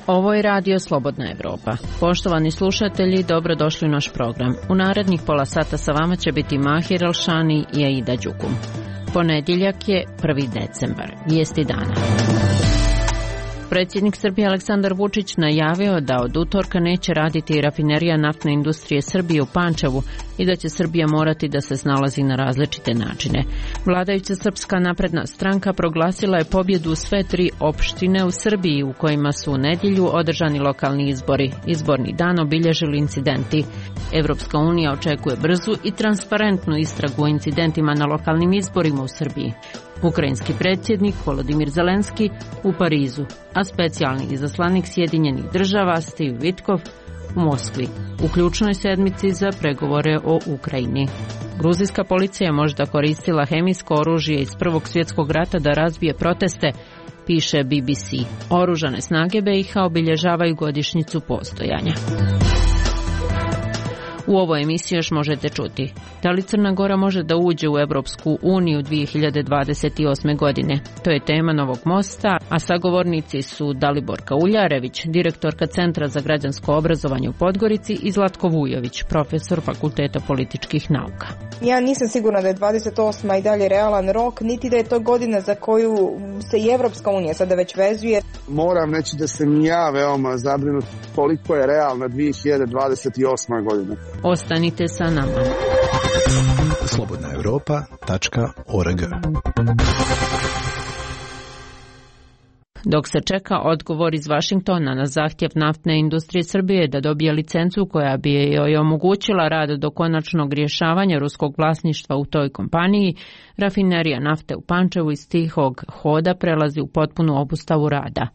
Ovo je Radio Slobodna Evropa. Poštovani slušatelji, dobrodošli u naš program. U narednih pola sata sa vama će biti Mahir Alšani i Aida Đukum. Ponedjeljak je 1. decembar. Vijesti dana. Predsjednik Srbije Aleksandar Vučić najavio da od utorka neće raditi rafinerija naftne industrije Srbije u Pančevu i da će Srbija morati da se snalazi na različite načine. Vladajuća Srpska napredna stranka proglasila je pobjedu u sve 3 opštine u Srbiji u kojima su u nedjelju održani lokalni izbori. Izborni dan obilježili incidenti. Evropska unija očekuje brzu i transparentnu istragu o incidentima na lokalnim izborima u Srbiji. Ukrajinski predsjednik Volodimir Zelenski u Parizu, a specijalni izaslanik Sjedinjenih država Steve Witkoff u Moskvi, u ključnoj sedmici za pregovore o Ukrajini. Gruzijska policija je možda koristila hemijsko oružje iz Prvog svjetskog rata da razbije proteste, piše BBC. Oružane snage BiH obilježavaju godišnjicu postojanja. U ovoj emisiji još možete čuti: da li Crna Gora može da uđe u Evropsku uniju 2028. godine? To je tema Novog mosta, a sagovornici su Daliborka Uljarević, direktorka Centra za građansko obrazovanje u Podgorici, i Zlatko Vujović, profesor Fakulteta političkih nauka. Ja nisam sigurna da je 28. i dalje realan rok, niti da je to godina za koju se i Evropska unija sada već vezuje. Moram reći da sam ja veoma zabrinut koliko je realna 2028. godina. Ostanite sa nama. slobodnaevropa.org. Dok se čeka odgovor iz Vašingtona na zahtjev naftne industrije Srbije da dobije licencu koja bi joj omogućila rad do konačnog rješavanja ruskog vlasništva u toj kompaniji, rafinerija nafte u Pančevu iz tihog hoda prelazi u potpunu obustavu rada.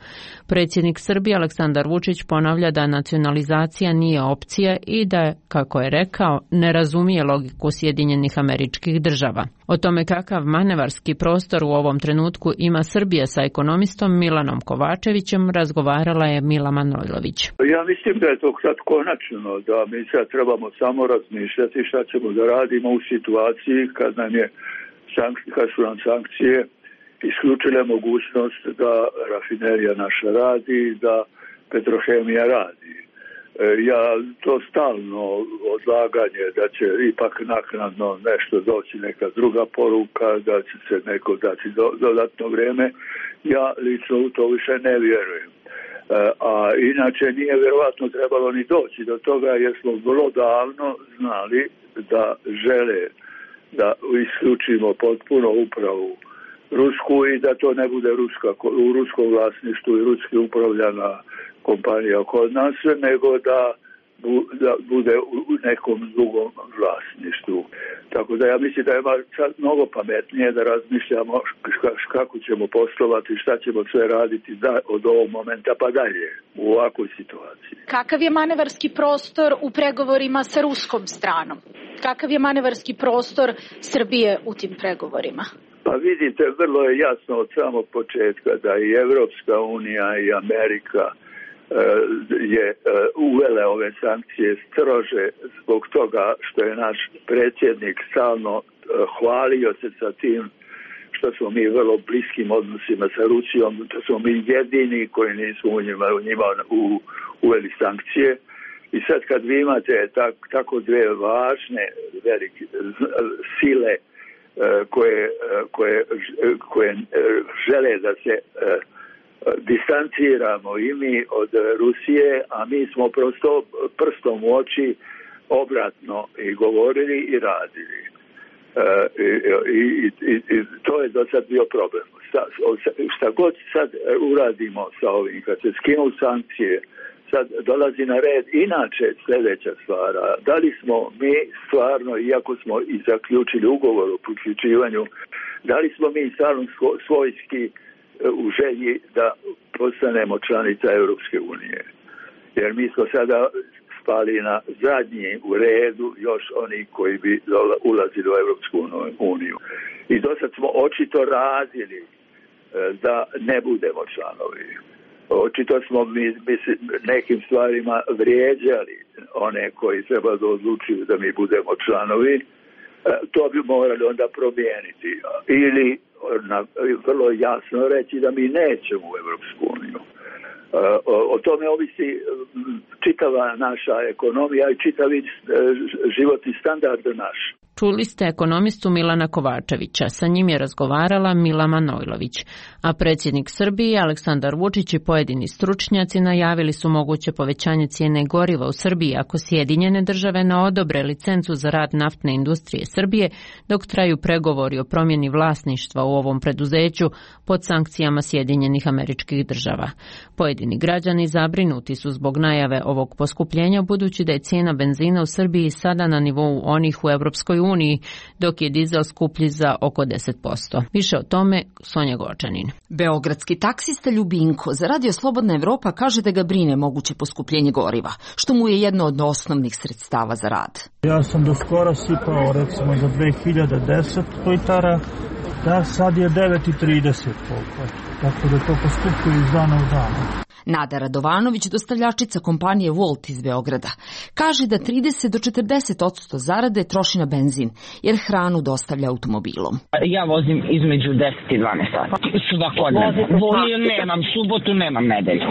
Predsjednik Srbije Aleksandar Vučić ponavlja da nacionalizacija nije opcija i da, kako je rekao, ne razumije logiku Sjedinjenih Američkih Država. O tome kakav manevarski prostor u ovom trenutku ima Srbija sa ekonomistom Milanom Kovačevićem razgovarala je Mila Manojlović. Ja mislim da je to sad konačno, da mi sad trebamo samo razmišljati šta ćemo da radimo u situaciji kad su nam sankcije isključile mogućnost da rafinerija naša radi, da Petrohemija radi. Ja to stalno odlaganje da će ipak naknadno nešto doći, neka druga poruka, da će se neko dati dodatno vrijeme. Ja lično u to više ne vjerujem. A inače nije vjerovatno trebalo ni doći do toga jer smo vrlo davno znali da žele da isključimo potpuno upravu rusku i da to ne bude u ruskom vlasništvu i ruski upravljana kompanija kod nas, nego da bude u nekom drugom vlasništvu. Tako da ja mislim da je sad mnogo pametnije da razmišljamo kako ćemo poslovati, šta ćemo sve raditi od ovog momenta pa dalje u ovakvoj situaciji. Kakav je manevarski prostor u pregovorima sa ruskom stranom? Kakav je manevarski prostor Srbije u tim pregovorima? Pa vidite, vrlo je jasno od samog početka da i Evropska unija i Amerika je uvele ove sankcije strože zbog toga što je naš predsjednik stalno hvalio se sa tim što smo mi vrlo bliskim odnosima sa Rusijom, da smo mi jedini koji nismo u njima uveli sankcije. I sad kad vi imate tako dve važne velike sile koje žele da se distanciramo i mi od Rusije, a mi smo prosto prstom u oči obratno i govorili i radili. I to je do sad bio problem. Šta god sad uradimo sa ovim, kad se skinu sankcije, sad dolazi na red inače sljedeća stvar. Da li smo mi stvarno, iako smo i zaključili ugovor o priključivanju, da li smo mi stvarno svojski u želji da postanemo članica Europske unije? Jer mi smo sada spali na zadnji u redu još oni koji bi ulazili u Europsku uniju. I do sad smo očito radili da ne budemo članovi. Očito smo mi nekim stvarima vrijeđali one koji treba da odlučuju da mi budemo članovi. To bi morali onda promijeniti. Ili vrlo jasno reći da mi nećemo u Europsku uniju. O tome ovisi čitava naša ekonomija i čitavi životni standard naš. Čuli ste ekonomistu Milana Kovačevića, sa njim je razgovarala Mila Manojlović, a predsjednik Srbije Aleksandar Vučić i pojedini stručnjaci najavili su moguće povećanje cijene goriva u Srbiji ako Sjedinjene države ne odobre licencu za rad naftne industrije Srbije dok traju pregovori o promjeni vlasništva u ovom preduzeću pod sankcijama Sjedinjenih Američkih Država. Pojedini građani zabrinuti su zbog najave ovog poskupljenja budući da je cijena benzina u Srbiji sada na nivou onih u Europskoj uniji, dok je dizel skuplji za oko 10%. Više o tome Sonja Gočanin. Beogradski taksista Ljubinko za Radio Slobodna Evropa kaže da ga brine moguće poskupljenje goriva, što mu je jedno od osnovnih sredstava za rad. Ja sam do skoro sipao recimo za 2010 litara, da sad je 9,30 koliko, tako da to poskupuje iz dana u dana. Nada Radovanović, dostavljačica kompanije Volt iz Beograda, kaže da 30 do 40% zarade troši na benzin, jer hranu dostavlja automobilom. Ja vozim između 10 i 12 sati. Svakodnevno. Nemam subotu, nemam nedelju.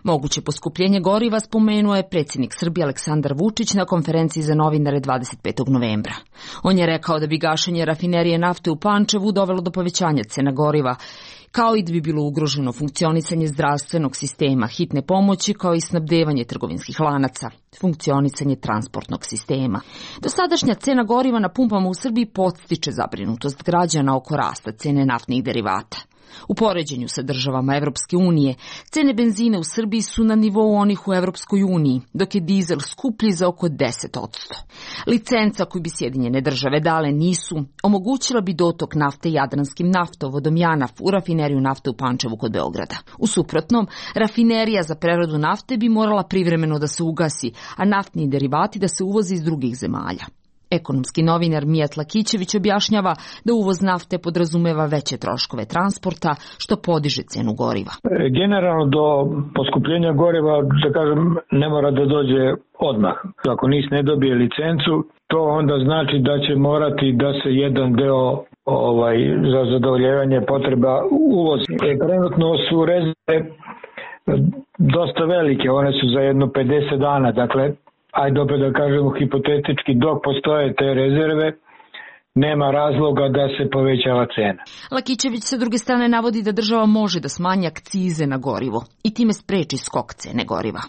Moguće poskupljenje goriva spomenuo je predsjednik Srbije Aleksandar Vučić na konferenciji za novinare 25. novembra. On je rekao da bi gašenje rafinerije nafte u Pančevu dovelo do povećanja cena goriva, kao i da bi bilo ugroženo funkcionisanje zdravstvenog sistema, hitne pomoći, kao i snabdevanje trgovinskih lanaca, funkcionisanje transportnog sistema. Dosadašnja cena goriva na pumpama u Srbiji podstiče zabrinutost građana oko rasta cene naftnih derivata. U poređenju sa državama Evropske unije, cene benzina u Srbiji su na nivou onih u Evropskoj uniji, dok je dizel skuplji za oko 10%. Licenca koju bi Sjedinjene države dale NIS-u omogućila bi dotok nafte Jadranskim naftovodom JANAF u rafineriju nafte u Pančevu kod Beograda. U suprotnom, rafinerija za preradu nafte bi morala privremeno da se ugasi, a naftni derivati da se uvoze iz drugih zemalja. Ekonomski novinar Mijat Lakićević objašnjava da uvoz nafte podrazumeva veće troškove transporta, što podiže cenu goriva. Generalno do poskupljenja goriva, da kažem, ne mora da dođe odmah. Ako NIS ne dobije licencu, to onda znači da će morati da se jedan deo za zadovoljavanje potreba uvozi. Trenutno su rezerve dosta velike, one su za jedno 50 dana, dakle, ajde opet da kažemo hipotetički, dok postoje te rezerve, nema razloga da se povećava cena. Lakićević sa druge strane navodi da država može da smanji akcize na gorivo i time spreči skok cene goriva.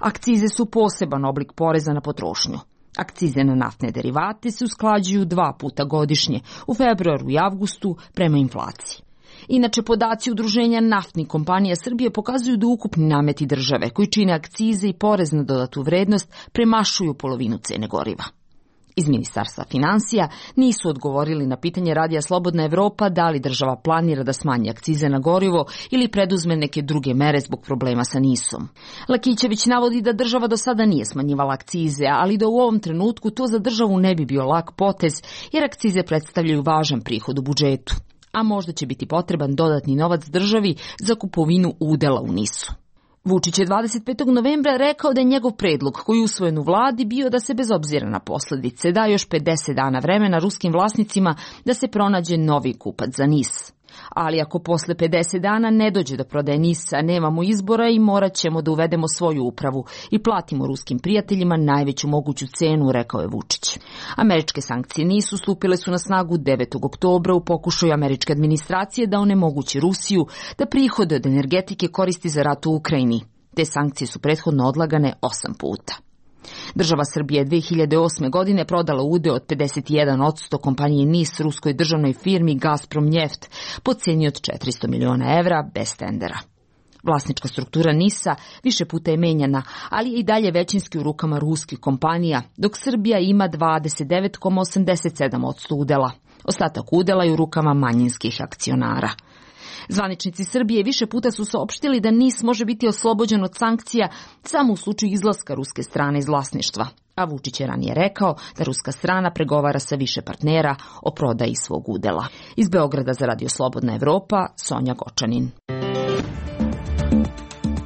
Akcize su poseban oblik poreza na potrošnju. Akcize na naftne derivate se usklađuju 2 puta godišnje, u februaru i avgustu, prema inflaciji. Inače, podaci Udruženja naftnih kompanija Srbije pokazuju da ukupni nameti države, koji čine akcize i porez na dodatu vrednost, premašuju polovinu cene goriva. Iz Ministarstva finansija nisu odgovorili na pitanje Radija Slobodna Evropa da li država planira da smanji akcize na gorivo ili preduzme neke druge mere zbog problema sa NIS-om. Lakićević navodi da država do sada nije smanjivala akcize, ali da u ovom trenutku to za državu ne bi bio lak potez, jer akcize predstavljaju važan prihod u budžetu, a možda će biti potreban dodatni novac državi za kupovinu udela u NIS-u. Vučić je 25. novembra rekao da je njegov predlog koji je usvojen u vladi bio da se bez obzira na posljedice da još 50 dana vremena ruskim vlasnicima da se pronađe novi kupac za NIS. Ali ako posle 50 dana ne dođe do prodaje NIS-a, nemamo izbora i morat ćemo da uvedemo svoju upravu i platimo ruskim prijateljima najveću moguću cenu, rekao je Vučić. Američke sankcije NIS-u stupile su na snagu 9. oktobra u pokušaju američke administracije da onemogući Rusiju da prihode od energetike koristi za rat u Ukrajini. Te sankcije su prethodno odlagane 8 puta. Država Srbije 2008. godine prodala udeo od 51% kompanije NIS ruskoj državnoj firmi Gazprom Njeft po cijeni od 400 miliona evra bez tendera. Vlasnička struktura NIS-a više puta je menjana, ali je i dalje većinski u rukama ruskih kompanija, dok Srbija ima 29,87% udela. Ostatak udela je u rukama manjinskih akcionara. Zvaničnici Srbije više puta su saopštili da NIS može biti oslobođen od sankcija samo u slučaju izlaska ruske strane iz vlasništva. A Vučić je ranije rekao da ruska strana pregovara sa više partnera o prodaji svog udela. Iz Beograda za Radio Slobodna Evropa, Sonja Gočanin.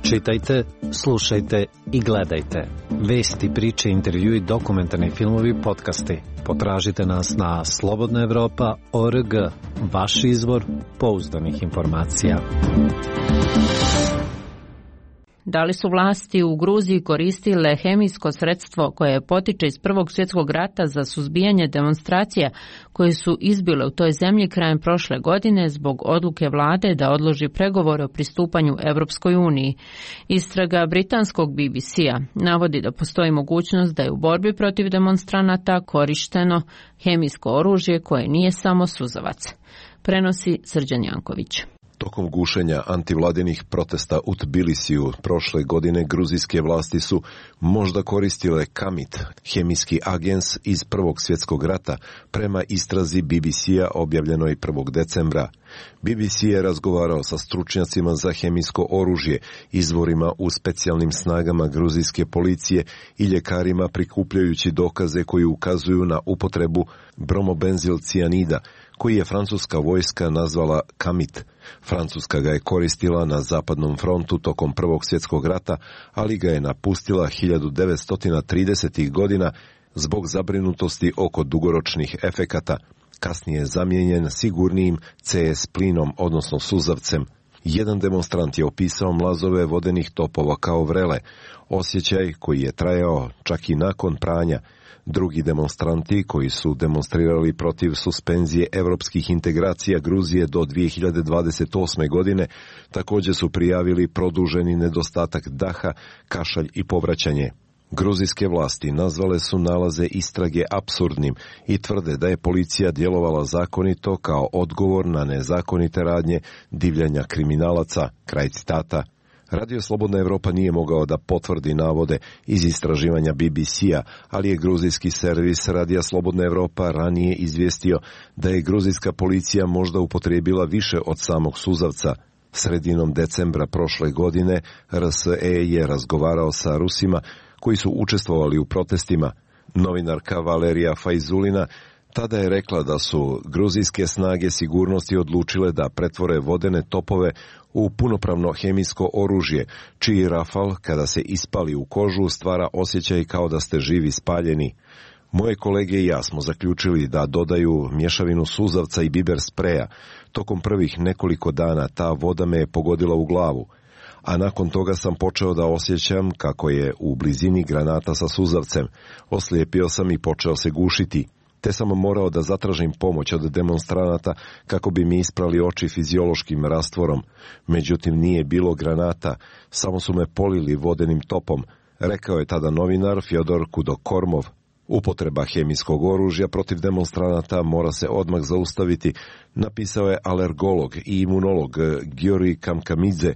Čitajte, slušajte i gledajte. Vesti, priče, intervjui, dokumentarni filmovi, podcasti. Potražite nas na slobodnaevropa.org, vaš izvor pouzdanih informacija. Da li su vlasti u Gruziji koristile hemijsko sredstvo koje potiče iz Prvog svjetskog rata za suzbijanje demonstracija koje su izbile u toj zemlji krajem prošle godine zbog odluke vlade da odloži pregovore o pristupanju Evropskoj uniji? Istraga britanskog BBC-a navodi da postoji mogućnost da je u borbi protiv demonstranata korišteno hemijsko oružje koje nije samo suzavac. Prenosi Srđan Janković. Tokom gušenja antivladinih protesta u Tbilisiju prošle godine gruzijske vlasti su možda koristile kamit, hemijski agens iz Prvog svjetskog rata, prema istrazi BBC-a objavljenoj 1. decembra. BBC je razgovarao sa stručnjacima za hemijsko oružje, izvorima u specijalnim snagama gruzijske policije i ljekarima prikupljajući dokaze koji ukazuju na upotrebu bromobenzilcijanida, koji je francuska vojska nazvala kamit. Francuska ga je koristila na zapadnom frontu tokom Prvog svjetskog rata, ali ga je napustila 1930. godina zbog zabrinutosti oko dugoročnih efekata. Kasnije je zamijenjen sigurnijim CS plinom, odnosno suzavcem. Jedan demonstrant je opisao mlazove vodenih topova kao vrele, osjećaj koji je trajao čak i nakon pranja. Drugi demonstranti koji su demonstrirali protiv suspenzije evropskih integracija Gruzije do 2028. godine također su prijavili produženi nedostatak daha, kašalj i povraćanje. Gruzijske vlasti nazvale su nalaze istrage apsurdnim i tvrde da je policija djelovala zakonito kao odgovor na nezakonite radnje divljanja kriminalaca. Kraj citata. Radio Slobodna Evropa nije mogao da potvrdi navode iz istraživanja BBC-a, ali je gruzijski servis Radija Slobodna Evropa ranije izvijestio da je gruzijska policija možda upotrijebila više od samog suzavca. Sredinom decembra prošle godine RSE je razgovarao sa Rusima koji su učestvovali u protestima. Novinarka Valerija Fajzulina tada je rekla da su gruzijske snage sigurnosti odlučile da pretvore vodene topove u punopravno hemijsko oružje, čiji rafal, kada se ispali u kožu, stvara osjećaj kao da ste živi spaljeni. Moje kolege i ja smo zaključili da dodaju mješavinu suzavca i biber spreja. Tokom prvih nekoliko dana ta voda me je pogodila u glavu, a nakon toga sam počeo da osjećam kako je u blizini granata sa suzavcem. Oslijepio sam i počeo se gušiti. Te sam morao da zatražim pomoć od demonstranata kako bi mi isprali oči fiziološkim rastvorom. Međutim, nije bilo granata, samo su me polili vodenim topom, rekao je tada novinar Fjodor Kudokormov. Upotreba hemijskog oružja protiv demonstranata mora se odmah zaustaviti, napisao je alergolog i imunolog Giori Kamkamidze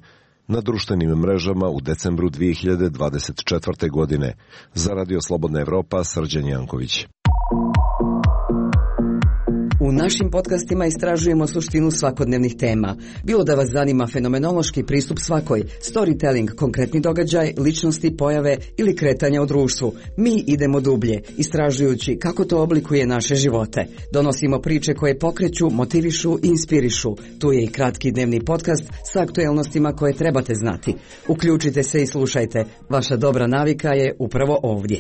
na društvenim mrežama u decembru 2024. godine. Za Radio Slobodna Evropa, Srđan Janković. U našim podcastima istražujemo suštinu svakodnevnih tema. Bilo da vas zanima fenomenološki pristup svakoj, storytelling, konkretni događaj, ličnosti, pojave ili kretanja u društvu. Mi idemo dublje, istražujući kako to oblikuje naše živote. Donosimo priče koje pokreću, motivišu i inspirišu. Tu je i kratki dnevni podcast sa aktuelnostima koje trebate znati. Uključite se i slušajte. Vaša dobra navika je upravo ovdje.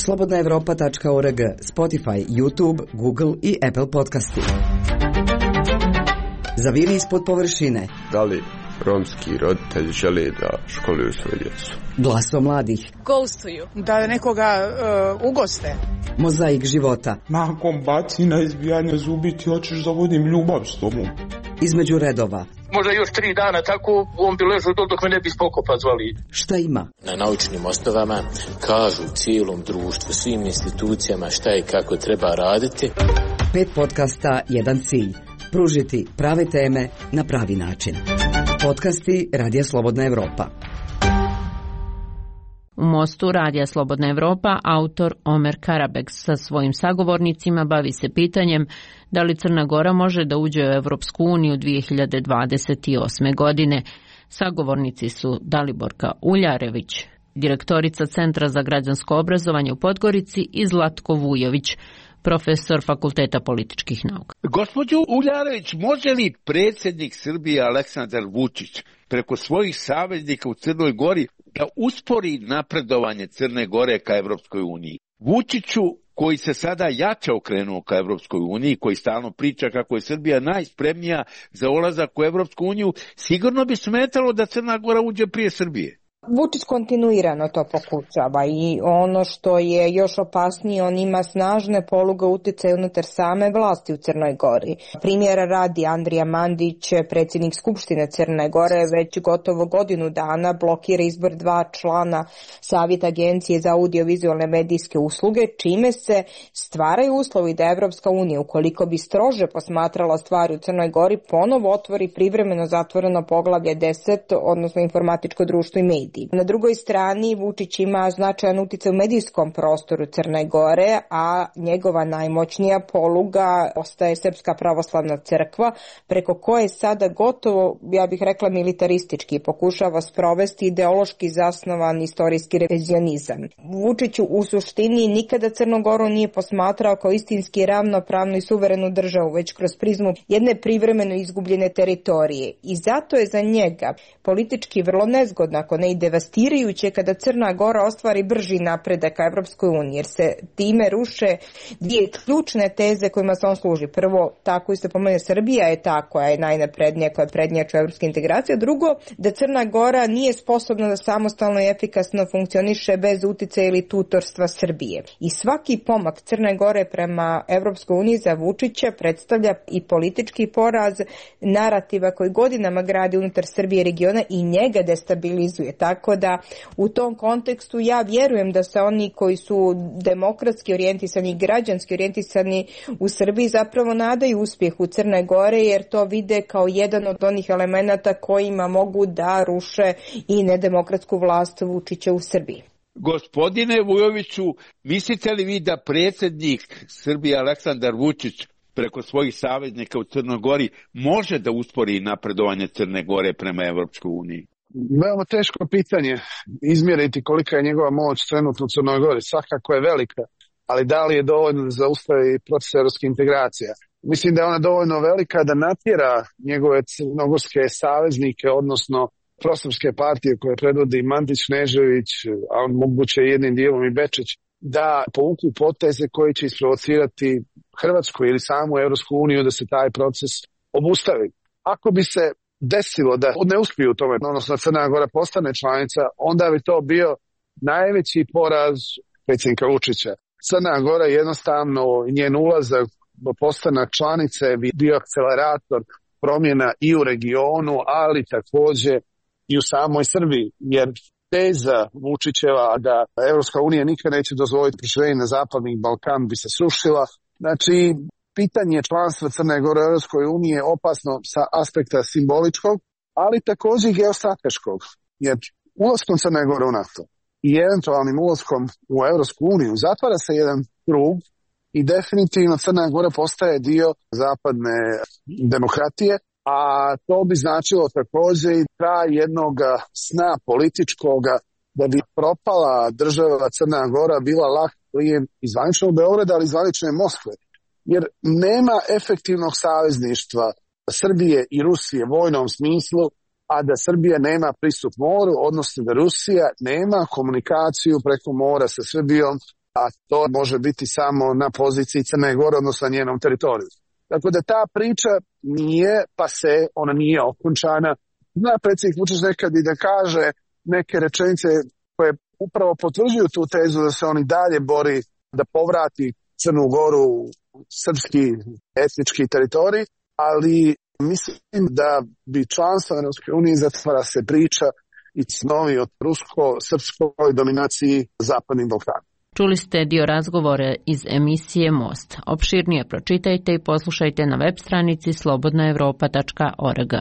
slobodnaevropa.org, Spotify, YouTube, Google i Apple podcasti. Zaviri ispod površine. Da li romski roditelji žele da školuju svoje djecu? Glaso mladih. Ghostuju. Da nekoga ugoste. Mozaik života. Nakon bacina, izbijanja zubi, ti hoćeš da vodim ljubav s tobom. Između redova. Možda još 3 dana tako, on bi ležao dok me ne bi spokopa zvali. Šta ima? Na naučnim osnovama kažu cijelom društvu, svim institucijama šta i kako treba raditi. 5 podcasta, jedan cilj. Pružiti prave teme na pravi način. Podcasti Radija Slobodna Evropa. U Mostu Radija Slobodna Evropa autor Omer Karabek sa svojim sagovornicima bavi se pitanjem da li Crna Gora može da uđe u Evropsku uniju 2028. godine. Sagovornici su Daliborka Uljarević, direktorica Centra za građansko obrazovanje u Podgorici, i Zlatko Vujović, profesor Fakulteta političkih nauka. Gospođo Uljarević, može li predsjednik Srbije Aleksandar Vučić preko svojih saveznika u Crnoj Gori da uspori napredovanje Crne Gore ka Evropskoj uniji? Vučiću, koji se sada jače okrenuo ka Evropskoj uniji, koji stalno priča kako je Srbija najspremnija za ulazak u Evropsku uniju, sigurno bi smetalo da Crna Gora uđe prije Srbije. Vučić kontinuirano to pokušava i ono što je još opasnije, on ima snažne poluge uticaja unutar same vlasti u Crnoj Gori. Primjera radi, Andrija Mandić, predsjednik Skupštine Crne Gore, već gotovo godinu dana blokira izbor 2 člana Savjeta Agencije za audiovizualne medijske usluge, čime se stvaraju uslovi da Evropska unija, ukoliko bi strože posmatrala stvari u Crnoj Gori, ponovo otvori privremeno zatvoreno poglavlje 10, odnosno informatičko društvo i mediji. Na drugoj strani Vučić ima značajan uticaj u medijskom prostoru Crne Gore, a njegova najmoćnija poluga ostaje Srpska pravoslavna crkva, preko koje sada gotovo, ja bih rekla, militaristički pokušava sprovesti ideološki zasnovan istorijski revizionizam. Vučić u suštini nikada Crnu Goru nije posmatrao kao istinski ravnopravnu i suverenu državu, već kroz prizmu jedne privremeno izgubljene teritorije. I zato je za njega politički vrlo nezgodno, ako ne i devastirajuće, kada Crna Gora ostvari brži napredak ka Evropskoj uniji, jer se time ruše dvije ključne teze kojima se on služi. Prvo, ta koju se pomenuje, Srbija je ta koja je najnaprednija, koja je prednjača evropske integracije. Drugo, da Crna Gora nije sposobna da samostalno i efikasno funkcioniše bez uticaja ili tutorstva Srbije. I svaki pomak Crne Gore prema Evropskoj uniji za Vučića predstavlja i politički poraz narativa koji godinama gradi unutar Srbije regiona i njega destabilizuje. Tako da u tom kontekstu ja vjerujem da se oni koji su demokratski orijentisani i građanski orijentisani u Srbiji zapravo nadaju uspjehu Crne Gore, jer to vide kao jedan od onih elemenata kojima mogu da ruše i nedemokratsku vlast Vučića u Srbiji. Gospodine Vujoviću, mislite li vi da predsjednik Srbije Aleksandar Vučić preko svojih saveznika u Crnoj Gori može da uspori napredovanje Crne Gore prema Evropskoj uniji? Veoma teško pitanje izmjeriti kolika je njegova moć trenutno u Crnoj Gori. Svakako je velika, ali da li je dovoljno da zaustavi proces evropskih integracija? Mislim da je ona dovoljno velika da natjera njegove crnogorske saveznike, odnosno prosrpske partije koje predvodi Mandić, Knežević, a on moguće jednim dijelom i Bečić, da povuku poteze koji će isprovocirati Hrvatsku ili samu Evropsku uniju da se taj proces obustavi. Ako bi se desilo da ne uspiju u tome, odnosno Crna Gora postane članica, onda bi to bio najveći poraz predsjednika Vučića. Crna Gora jednostavno, njen ulazak do postanak članice bi bio akcelerator promjena i u regionu, ali također i u samoj Srbiji, jer teza Vučićeva da Evropska unija nikad neće dozvoliti proširenje na Zapadni Balkan bi se srušila. Znači, pitanje članstva Crne Gore u Evropskoj uniji je opasno sa aspekta simboličkog, ali također i geostrateškog, jer ulaskom Crne Gore u NATO i eventualnim ulaskom u Evropsku uniju zatvara se jedan krug i definitivno Crna Gora postaje dio zapadne demokratije, a to bi značilo također i kraj jednog sna političkoga da bi propala država Crna Gora bila lak plijen iz zvaničnog Beograda, ali iz zvanične Moskve. Jer nema efektivnog savezništva Srbije i Rusije u vojnom smislu, a da Srbija nema pristup moru, odnosno da Rusija nema komunikaciju preko mora sa Srbijom, a to može biti samo na poziciji Crne Gore, odnosno na njenom teritoriju. Tako da ta priča nije pase, ona nije okončana. Zna predsjednik Vučić nekad i da kaže neke rečenice koje upravo potvrđuju tu tezu da se on i dalje bori da povrati Crnu Goru u srpski etnički teritorij, ali mislim da bi članstvo Evropske unije zatvara se priča i snovi od rusko-srpskoj dominaciji Zapadnim Balkanom. Čuli ste dio razgovora iz emisije Most. Opširnije pročitajte i poslušajte na web stranici slobodnaevropa.org.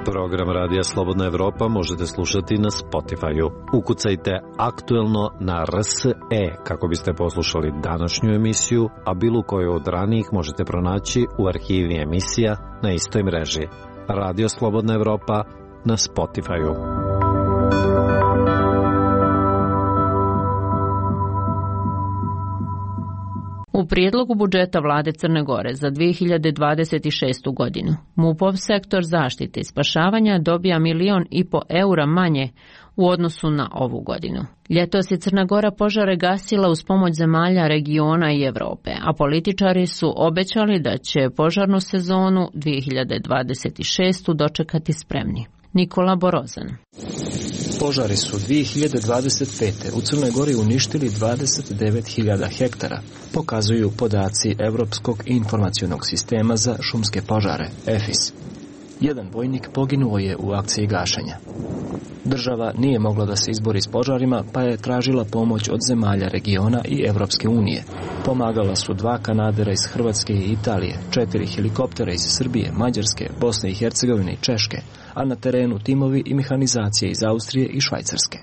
Program Radija Slobodna Evropa možete slušati na Spotify-u. Ukucajte aktuelno na RSE kako biste poslušali današnju emisiju, a bilo koju od ranijih možete pronaći u arhivi emisija na istoj mreži. Radio Slobodna Evropa na Spotify-u. U prijedlogu budžeta vlade Crne Gore za 2026. godinu MUP-ov sektor zaštite i spašavanja dobija 1,5 miliona eura manje u odnosu na ovu godinu. Ljetos je Crna Gora požare gasila uz pomoć zemalja regiona i Evrope, a političari su obećali da će požarnu sezonu 2026. dočekati spremni. Nikola Borozan. Požari su 2025. u Crnoj Gori uništili 29.000 hektara, pokazuju podaci Evropskog informacionog sistema za šumske požare, EFIS. Jedan vojnik poginuo je u akciji gašenja. Država nije mogla da se izbori s požarima, pa je tražila pomoć od zemalja regiona i Evropske unije. Pomagala su 2 kanadera iz Hrvatske i Italije, 4 helikoptera iz Srbije, Mađarske, Bosne i Hercegovine i Češke, a na terenu timovi i mehanizacije iz Austrije i Švajcarske.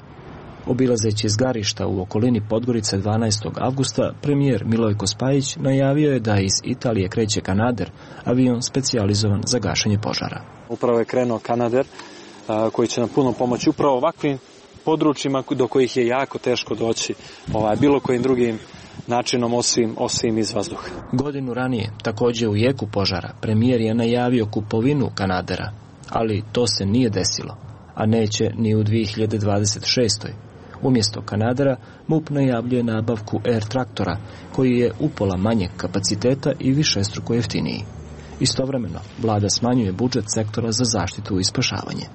Obilazeći zgarišta u okolini Podgorice 12. avgusta, premijer Milojko Spajić najavio je da iz Italije kreće kanader, avion specijalizovan za gašenje požara. Upravo je krenuo kanader koji će nam puno pomoći upravo ovakvim područjima do kojih je jako teško doći bilo kojim drugim načinom osim iz vazduha. Godinu ranije, također u jeku požara, premijer je najavio kupovinu kanadera, ali to se nije desilo, a neće ni u 2026. Umjesto kanadera, MUP najavljuje nabavku Air traktora, koji je upola manjeg kapaciteta i višestruko jeftiniji. Istovremeno, vlada smanjuje budžet sektora za zaštitu i spašavanje.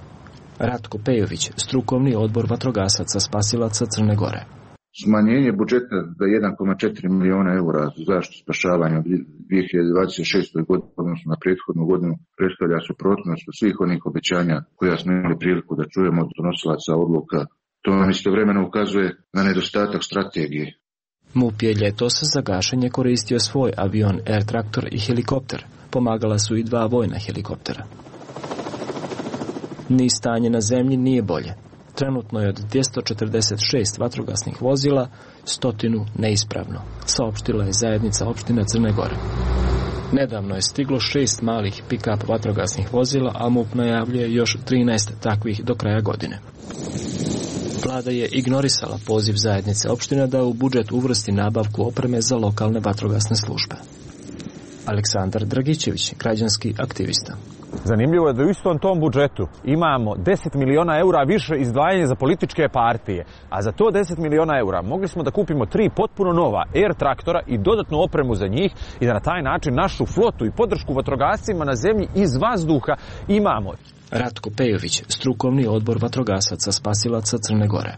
Ratko Pejović, strukovni odbor vatrogasaca spasilaca Crne Gore. Smanjenje budžeta za 1,4 miliona eura za zaštitu spašavanja u 2026. godini, odnosno na prethodnu godinu, predstavlja suprotnost svih onih obećanja koja smo imali priliku da čujemo od donosilaca odluka. To nam istovremeno ukazuje na nedostatak strategije. MUP je ljetos za gašenje koristio svoj avion Air traktor i helikopter. Pomagala su i 2 vojna helikoptera. Ni stanje na zemlji nije bolje. Trenutno je od 246 vatrogasnih vozila 100 neispravno, saopštila je zajednica opština Crne Gore. Nedavno je stiglo 6 malih pick-up vatrogasnih vozila, a MUP najavljuje još 13 takvih do kraja godine. Vlada je ignorisala poziv zajednice opština da u budžet uvrsti nabavku opreme za lokalne vatrogasne službe. Aleksandar Dragićević, građanski aktivista. Zanimljivo je da u istom tom budžetu imamo 10 miliona eura više izdvajanja za političke partije, a za to 10 miliona eura mogli smo da kupimo 3 potpuno nova Air traktora i dodatnu opremu za njih i da na taj način našu flotu i podršku vatrogascima na zemlji iz vazduha imamo. Ratko Pejović, strukovni odbor vatrogasaca spasilaca Crne Gore.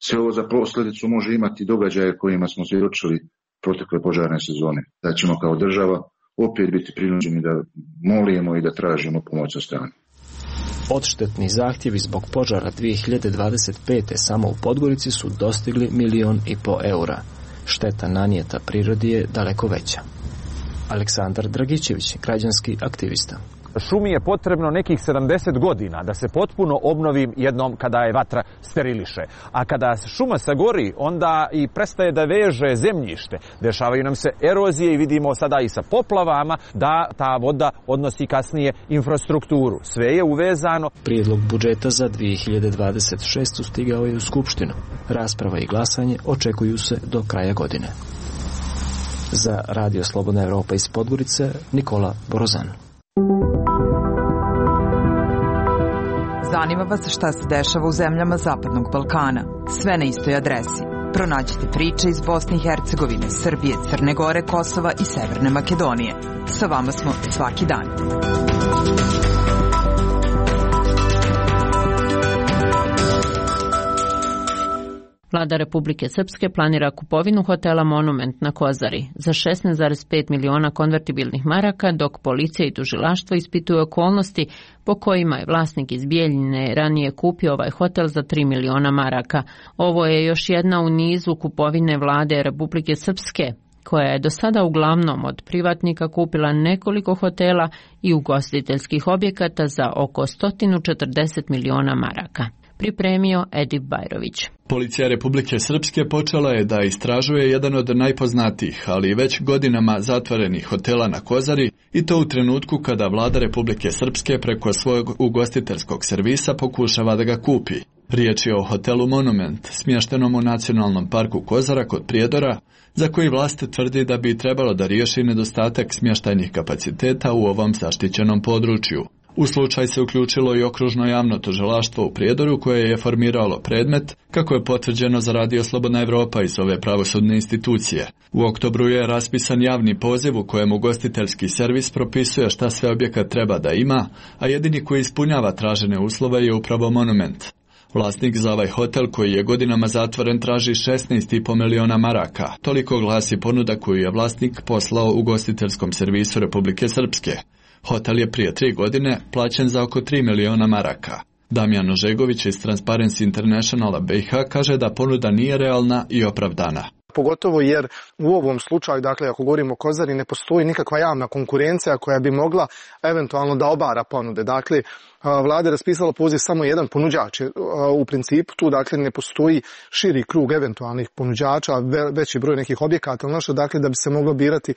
Sve ovo za posljedicu može imati događaje kojima smo svjedočili protekle požarne sezone. Da ćemo kao država opet biti prinuđeni da molimo i da tražimo pomoć od strane. Odštetni zahtjevi zbog požara 2025. samo u Podgorici su dostigli 1,5 miliona eura. Šteta nanijeta prirodi je daleko veća. Aleksandar Dragićević, građanski aktivista. Šumi je potrebno nekih 70 godina da se potpuno obnovi jednom kada je vatra steriliše. A kada šuma sagori, onda i prestaje da veže zemljište. Dešavaju nam se erozije i vidimo sada i sa poplavama da ta voda odnosi kasnije infrastrukturu. Sve je uvezano. Prijedlog budžeta za 2026. stigao je u Skupštinu. Rasprava i glasanje očekuju se do kraja godine. Za Radio Slobodna Evropa iz Podgorice, Nikola Borozan. Zanima vas šta se dešava u zemljama Zapadnog Balkana. Sve na istoj adresi. Pronađite priče iz Bosne i Hercegovine, Srbije, Crne Gore, Kosova i Severne Makedonije. Sa vama smo svaki dan. Vlada Republike Srpske planira kupovinu hotela Monument na Kozari za 16,5 miliona konvertibilnih maraka, dok policija i tužilaštvo ispituju okolnosti po kojima je vlasnik iz Bijeljine ranije kupio ovaj hotel za 3 miliona maraka. Ovo je još jedna u nizu kupovine Vlade Republike Srpske, koja je do sada uglavnom od privatnika kupila nekoliko hotela i ugostiteljskih objekata za oko 140 miliona maraka. Pripremio Edip Bajrović. Policija Republike Srpske počela je da istražuje jedan od najpoznatijih, ali već godinama zatvorenih hotela na Kozari, i to u trenutku kada Vlada Republike Srpske preko svojeg ugostiteljskog servisa pokušava da ga kupi. Riječ je o hotelu Monument, smještenom u Nacionalnom parku Kozara kod Prijedora, za koji vlast tvrdi da bi trebalo da riješi nedostatak smještajnih kapaciteta u ovom zaštićenom području. U slučaj se uključilo i okružno javno tužilaštvo u Prijedoru koje je formiralo predmet, kako je potvrđeno za Radio Slobodna Evropa iz ove pravosudne institucije. U oktobru je raspisan javni poziv u kojem ugostiteljski servis propisuje šta sve objekat treba da ima, a jedini koji ispunjava tražene uslove je upravo Monument. Vlasnik za ovaj hotel koji je godinama zatvoren traži 16,5 miliona maraka. Toliko glasi ponuda koju je vlasnik poslao ugostiteljskom servisu Republike Srpske. Hotel je prije 3 godine plaćen za oko 3 miliona maraka. Damjan Ožegović iz Transparency Internationala BiH kaže da ponuda nije realna i opravdana. Pogotovo jer u ovom slučaju, dakle ako govorimo o Kozari, ne postoji nikakva javna konkurencija koja bi mogla eventualno da obara ponude. Dakle, vlada je raspisala poziv samo jedan ponuđač. U principu tu dakle ne postoji širi krug eventualnih ponuđača, veći broj nekih objekata, dakle da bi se moglo birati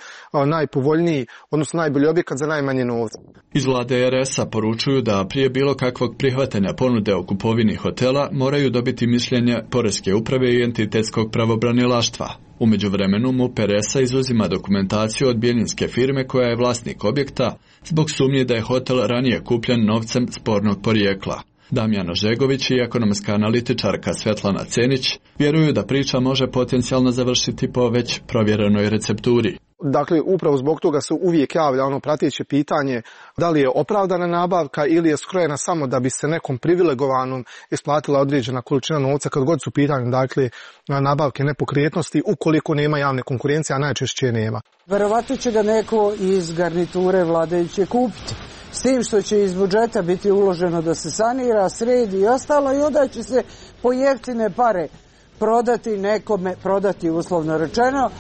najpovoljniji, odnosno najbolji objekat za najmanje novca. Iz vlade RS-a poručuju da prije bilo kakvog prihvatanja ponude o kupovini hotela moraju dobiti mišljenje Poreske uprave i entitetskog pravobranilaštva. U međuvremenu MUP RS-a izuzima dokumentaciju od bjeljinske firme koja je vlasnik objekta zbog sumnje da je hotel ranije kupljen novcem spornog porijekla. Damjan Ožegović i ekonomska analitičarka Svetlana Cenić vjeruju da priča može potencijalno završiti po već provjerenoj recepturi. Dakle, upravo zbog toga se uvijek javlja ono prateće pitanje da li je opravdana nabavka ili je skrojena samo da bi se nekom privilegovanom isplatila određena količina novca kad god su pitanje, dakle, nabavke nepokretnosti ukoliko nema javne konkurencije, a najčešće nema. Verovatno će ga neko iz garniture vladajuće kupiti. S tim što će iz budžeta biti uloženo da se sanira, sredi i ostalo i onda će se po jeftine pare prodati nekome, prodati uslovno rečeno,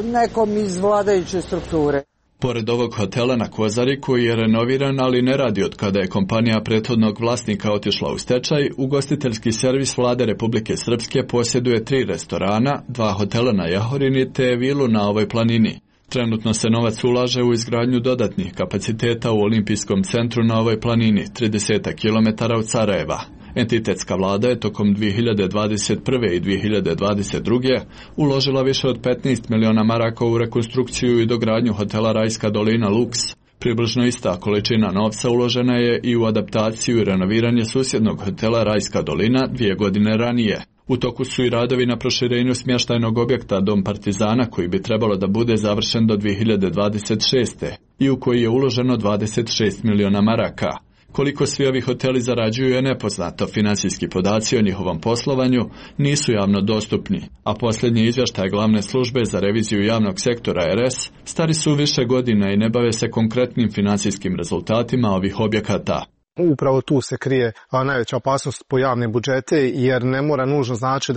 nekom iz vladajuće strukture. Pored ovog hotela na Kozari koji je renoviran, ali ne radi od kada je kompanija prethodnog vlasnika otišla u stečaj, ugostiteljski servis vlade Republike Srpske posjeduje 3 restorana, 2 hotela na Jahorini te vilu na ovoj planini. Trenutno se novac ulaže u izgradnju dodatnih kapaciteta u olimpijskom centru na ovoj planini, 30 km od Sarajeva. Entitetska vlada je tokom 2021. i 2022. uložila više od 15 miliona maraka u rekonstrukciju i dogradnju hotela Rajska dolina Lux. Približno ista količina novca uložena je i u adaptaciju i renoviranje susjednog hotela Rajska dolina 2 godine ranije. U toku su i radovi na proširenju smještajnog objekta Dom Partizana koji bi trebalo da bude završen do 2026. i u koji je uloženo 26 miliona maraka. Koliko svi ovi hoteli zarađuju je nepoznato, finansijski podaci o njihovom poslovanju nisu javno dostupni, a posljednji izvještaj glavne službe za reviziju javnog sektora RS stari su više godina i ne bave se konkretnim finansijskim rezultatima ovih objekata. Upravo tu se krije najveća opasnost po javne budžete, jer ne mora nužno znači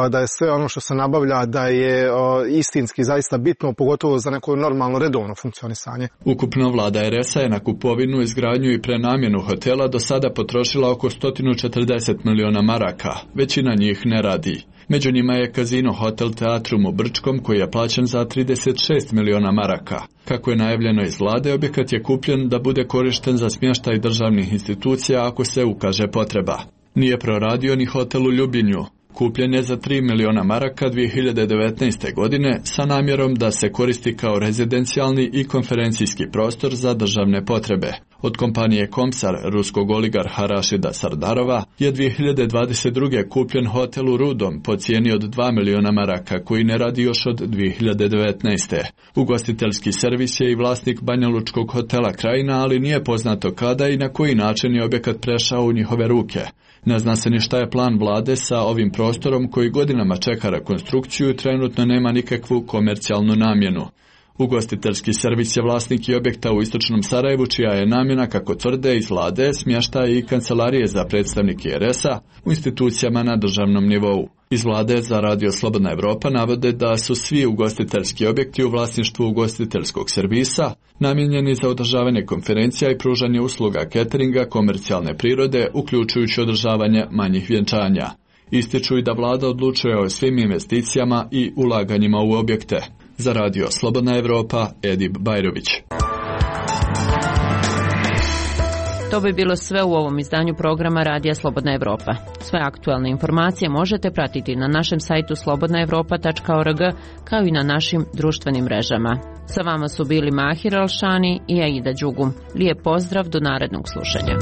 da je sve ono što se nabavlja da je istinski zaista bitno, pogotovo za neko normalno redovno funkcionisanje. Ukupno vlada RS-a je na kupovinu, izgradnju i prenamjenu hotela do sada potrošila oko 140 miliona maraka, većina njih ne radi. Među njima je Casino Hotel Teatrum u Brčkom koji je plaćen za 36 miliona maraka. Kako je najavljeno iz vlade, objekat je kupljen da bude korišten za smještaj državnih institucija ako se ukaže potreba. Nije proradio ni hotel u Ljubinju. Kupljen je za 3 miliona maraka 2019. godine sa namjerom da se koristi kao rezidencijalni i konferencijski prostor za državne potrebe. Od kompanije Komsar, ruskog oligarha Rašida Sardarova, je 2022. kupljen hotel u Rudom po cijeni od 2 miliona maraka koji ne radi još od 2019. Ugostiteljski servis je i vlasnik banjalučkog hotela Krajina, ali nije poznato kada i na koji način je objekat prešao u njihove ruke. Ne zna se ni šta je plan vlade sa ovim prostorom koji godinama čeka rekonstrukciju i trenutno nema nikakvu komercijalnu namjenu. Ugostiteljski servis je vlasnik i objekta u istočnom Sarajevu, čija je namjena, kako tvrde iz vlade, smještaj i kancelarije za predstavnike RS-a u institucijama na državnom nivou. Iz vlade za Radio Slobodna Evropa navode da su svi ugostiteljski objekti u vlasništvu ugostiteljskog servisa namijenjeni za održavanje konferencija i pružanje usluga cateringa komercijalne prirode, uključujući održavanje manjih vjenčanja. Ističu i da vlada odlučuje o svim investicijama i ulaganjima u objekte. Za Radio Slobodna Evropa, Edip Bajrović. To bi bilo sve u ovom izdanju programa Radija Slobodna Evropa. Sve aktualne informacije možete pratiti na našem sajtu slobodnaevropa.org kao i na našim društvenim mrežama. Sa vama su bili Mahir Alšani i Aida Đugum. Lijep pozdrav do narednog slušanja.